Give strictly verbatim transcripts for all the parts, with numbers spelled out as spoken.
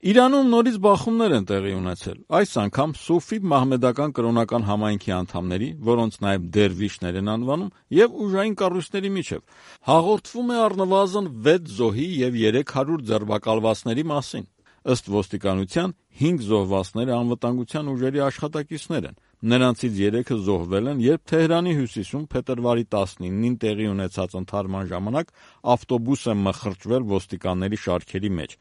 Իրանում նորից բախումներ են տեղի ունեցել, այս անգամ սուֆի մահմեդական կրոնական համայնքի անդամների, որոնց նաև դերվիշներ են անվանում, եւ ուժային կառույցների միջև։ Հաղորդվում է առնվազն վեց զոհի եւ երեք հարյուր ձերբակալվածների մասին։ Ըստ ոստիկանության հինգ զոհվածները անվտանգության ուժերի աշխատակիցներ են։ Նրանցից երեքը զոհվել են, երբ Թեհրանի հյուսիսում փետրվարի տասնինին տեղի ունեցած ընդհարման ժամանակ ավտոբուս է մխրճվել ոստիկանների շարքերի մեջ։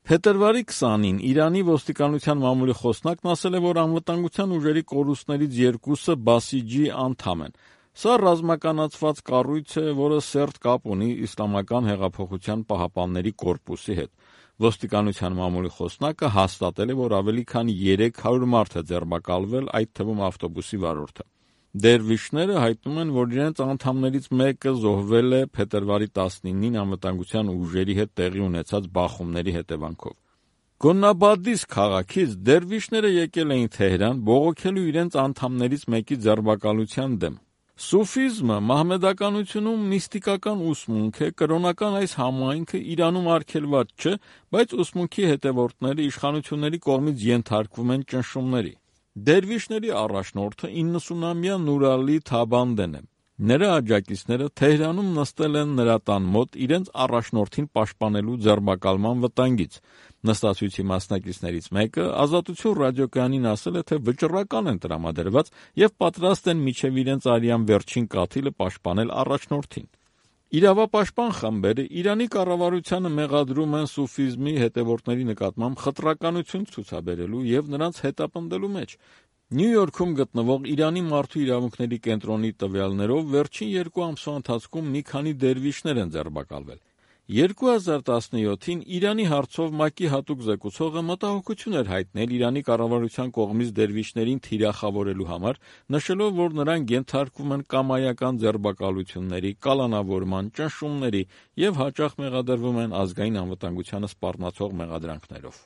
Փետրվարի քսանին Իրանի ոստիկանության մամուլի խոսնակն ասել է, որ անվտանգության ուժերի կորուստներից երկուսը Բասիջի անդամ են։ Սա ռազմականացված կառույց է, որը սերտ կապ ունի Իսլամական հեղափոխության պահապանների կորպուսի հետ։ Ոստիկանության մամուլի խոսնակը հաստատել է, որ ավելի քան երեք հարյուր մարդ է ձերբակալվել, այդ թվում ավտոբուսի վարորդը։ Դերվիշները հայտնում են, որ իրենց անդամներից մեկը զոհվել է փետրվարի տասնինին անվտանգության ուժերի հետ տեղի ունեցած բախումների հետևանքով։ Գոննաբադիս քաղաքից դերվիշները եկել էին Թեհրան բողոքելու իրենց անդամներից մեկի ձերբակալության դեմ։ Սուֆիզմը մահմեդականությունում միստիկական ուսմունք է, կրոնական այս համայնքը Իրանում արգելված չէ, բայց ուսմունքի հետևորդները իշխանությունների կողմից ենթարկվում են ճնշումների։ Դերվիշների առաջնորդը իննսունամյա Նուրալի Թաբանդեն է։ Նրա աջակիցները Թեհրանում նստել են նրա տան մոտ իրենց առաջնորդին պաշտպանելու ձերբակալման վտանգից։ Նստացույցի մասնակիցներից մեկը Ազատություն ռադիոկայանին ասել է, թե վճռական են տրամադրված եւ պատրաստ են մինչեւ իրենց արյան վերջին կաթիլը պաշտպանել առաջնորդին։ Իրավապաշտպան խմբերը Իրանի կառավարությանը մեղադրում են սուֆիզմի հետևորդների նկատմամբ խտրականություն ցուցաբերելու եւ նրանց հետապնդելու մեջ։ Նյու Յորքում գտնվող Իրանի մարդու իրավունքների կենտրոնի տվյալներով վերջին երկու ամսվա ընթացքում մի քանի դերվիշներ են ձերբակալվել։ երկու հազար տասնյոթին Իրանի հարցով ՄԱԿ-ի հատուկ զեկուցողը մտահոգություն էր հայտնել Իրանի կառավարության կողմից դերվիշներին թիրախավորելու համար, նշելով, որ նրանք ենթարկվում են կամայական ձերբակալությունների, կալանավորման, ճնշումների եւ հաճախ մեղադրվում են ազգային անվտանգությանը սպառնացող մեղադրանքներով։